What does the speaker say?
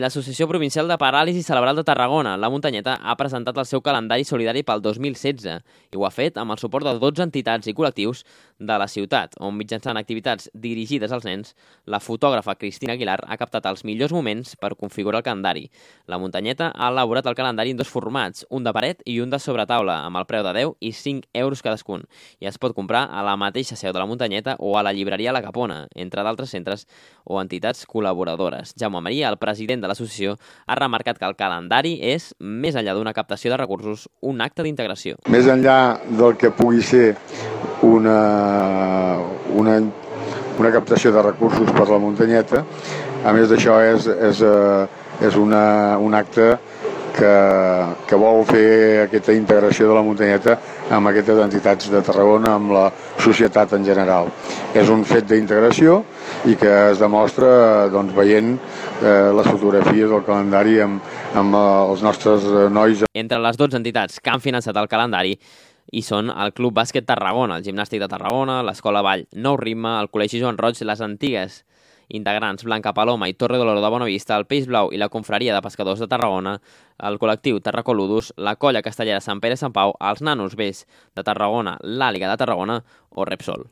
L'Associació Provincial de Paràlisi Cerebral de Tarragona, la Muntanyeta, ha presentat el seu calendari solidari pel 2016 i ho ha fet amb el suport de 12 entitats i col·lectius de la ciutat, on mitjançant activitats dirigides als nens, la fotògrafa Cristina Aguilar ha captat els millors moments per configurar el calendari. La Muntanyeta ha elaborat el calendari en dos formats, un de paret i un de sobretaula, amb el preu de 10 i 5 euros cadascun, i es pot comprar a la mateixa seu de la Muntanyeta o a la llibreria La Capona, entre d'altres centres o entitats col·laboradores. Jaume Maria, el president de l'associació, ha remarcat que el calendari és, més enllà d'una captació de recursos, un acte d'integració. Més enllà del que pugui ser una captació de recursos per la Muntanyeta, a més d'això és un acte que vol fer aquesta integració de la Muntanyeta amb aquestes entitats de Tarragona, amb la societat en general. És un fet d'integració i que es demostra veient les fotografies del calendari amb els nostres nois. Entre les 12 entitats que han finançat el calendari hi són el Club Bàsquet Tarragona, el Gimnàstic de Tarragona, l'Escola Vall Nou Ritme, el Col·legi Joan Roig, les antigues integrants Blanca Paloma i Torre de l'Oro de Bonavista, el Peix Blau i la Confraria de Pescadors de Tarragona, el col·lectiu Tarracoludus, la Colla Castellera Sant Pere Sant Pau, els Nanos Vells de Tarragona, l'Àliga de Tarragona o Repsol.